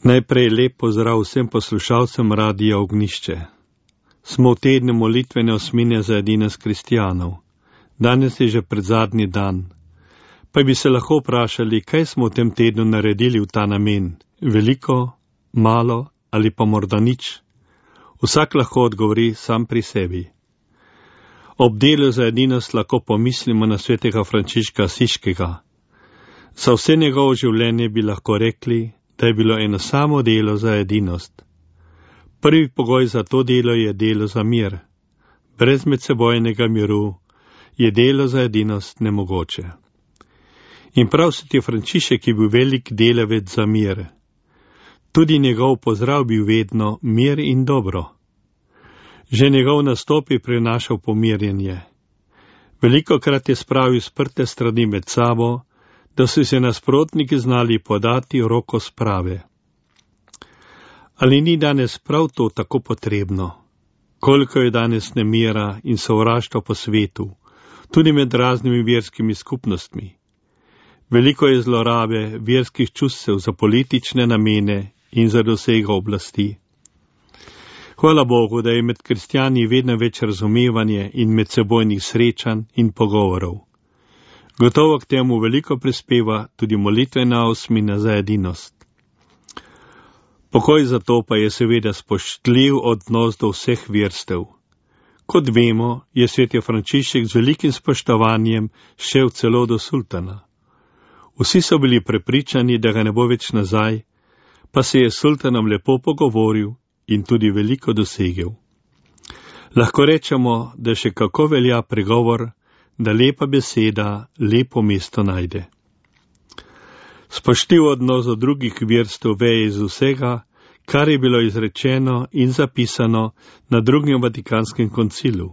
Najprej lep pozdrav vsem poslušalcem Radia Ognjišče. Smo v tednu molitvene osmine za edinost kristjanov. Danes je že predzadnji dan. Pa bi se lahko vprašali, kaj smo v tem tednu naredili v ta namen. Veliko, malo ali pa morda nič. Vsak lahko odgovori sam pri sebi. Ob delu za edinost lahko pomislimo na svetega Frančiška Asiškega. Za vse njegovo življenje bi lahko rekli, da je bilo eno samo delo za edinost. Prvi pogoj za to delo je delo za mir. Brez medsebojnega miru je delo za edinost nemogoče. In prav sveti Frančišek je bil velik delavec za mir. Tudi njegov pozdrav bil vedno mir in dobro. Že njegov nastop je prinašal pomirjenje. Velikokrat je spravil sprte strani med sabo, da so se nasprotniki znali podati roko sprave. Ali ni danes prav to tako potrebno? Koliko je danes nemira in sovraštva po svetu, tudi med raznimi verskimi skupnostmi. Veliko je zlorabe verskih čustev za politične namene in za dosego oblasti. Hvala Bogu, da je med kristjani vedno več razumevanja in medsebojnih srečanj in pogovorov. Gotovo k temu veliko prispeva tudi molitvena osmina za edinost. Pokoj za to pa je seveda spoštljiv odnos do vseh verstev. Kot vemo, je sveti Frančišek z velikim spoštovanjem šel celo do sultana. Vsi so bili prepričani, da ga ne bo več nazaj, pa se je s sultanom lepo pogovoril in tudi veliko dosegel. Lahko rečemo, da še kako velja pregovor, da lepa beseda lepo mesto najde. Spoštljiv odnos do drugih verstev veje iz vsega, kar je bilo izrečeno in zapisano na drugem Vatikanskem koncilu.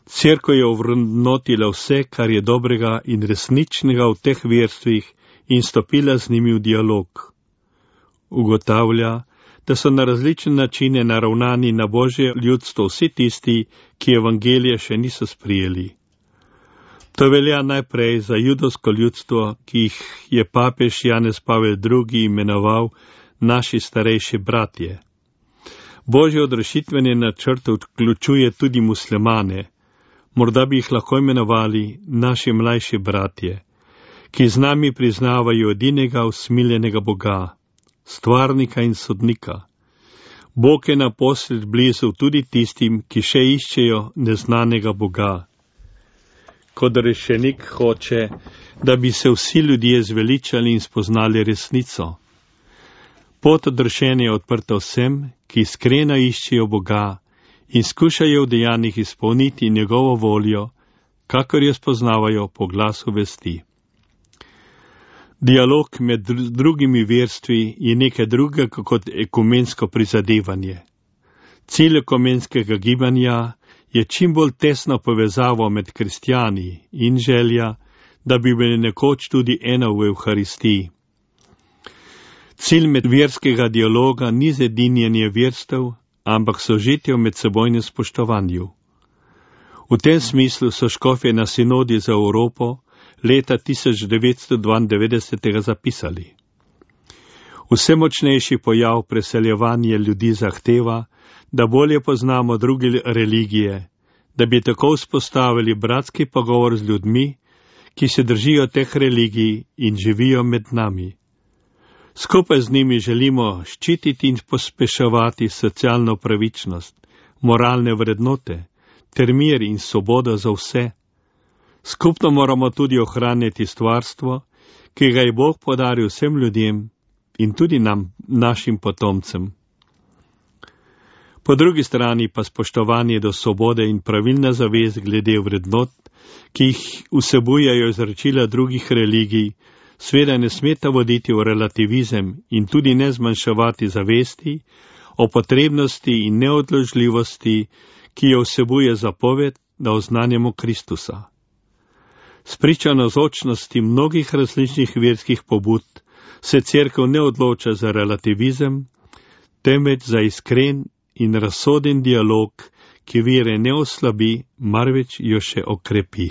Cerkev je ovrednotila vse, kar je dobrega in resničnega v teh verstvih in stopila z njimi v dialog. Ugotavlja, da so na različne načine naravnani na Božje ljudstvo vsi tisti, ki evangelije še niso sprijeli. To velja najprej za judovsko ljudstvo, ki jih je papež Janez Pavel II. Imenoval naši starejši bratje. Božje odrešitvene načrte vključuje tudi muslimane, morda bi jih lahko imenovali naši mlajši bratje, ki z nami priznavajo edinega usmiljenega Boga, stvarnika in sodnika. Bog je naposled blizu tudi tistim, ki še iščejo neznanega Boga. Kot rešenik hoče, da bi se vsi ljudje zveličali in spoznali resnico. Pot odrešenja je odprta vsem, ki iskreno iščejo Boga in skušajo v dejanjih izpolniti njegovo voljo, kakor jo spoznavajo po glasu vesti. Dialog med drugimi verstvi je nekaj drugega kot ekumensko prizadevanje. Cilj ekumenskega gibanja je čim bolj tesno povezavo med kristjani in želja, da bi bili nekoč tudi eno v Evharistiji. Cilj medverskega dialoga ni zedinjenje verstev, ampak sožitje v medsebojnem spoštovanju. V tem smislu so škofje na sinodi za Evropo leta 1992 zapisali. Vse močnejši pojav preseljevanja ljudi zahteva, da bolje poznamo druge religije, da bi tako vzpostavili bratski pogovor z ljudmi, ki se držijo teh religij in živijo med nami. Skupaj z njimi želimo ščititi in pospeševati socialno pravičnost, moralne vrednote, ter mir in svobodo za vse. Skupno moramo tudi ohranjati stvarstvo, ki ga je Bog podaril vsem ljudem in tudi nam, našim potomcem. Po drugi strani pa spoštovanje do svobode in pravilna zavest glede vrednot, ki jih vsebujejo izročila drugih religij, seveda ne smeta voditi v relativizem in tudi ne zmanjševati zavesti o potrebnosti in neodložljivosti, ki jo vsebuje zapoved, da oznanjamo Kristusa. Spričo navzočnosti mnogih različnih verskih pobud se cerkev ne odloča za relativizem, temveč za iskren in razsoden dialog, ki vere ne oslabi, marveč jo še okrepi.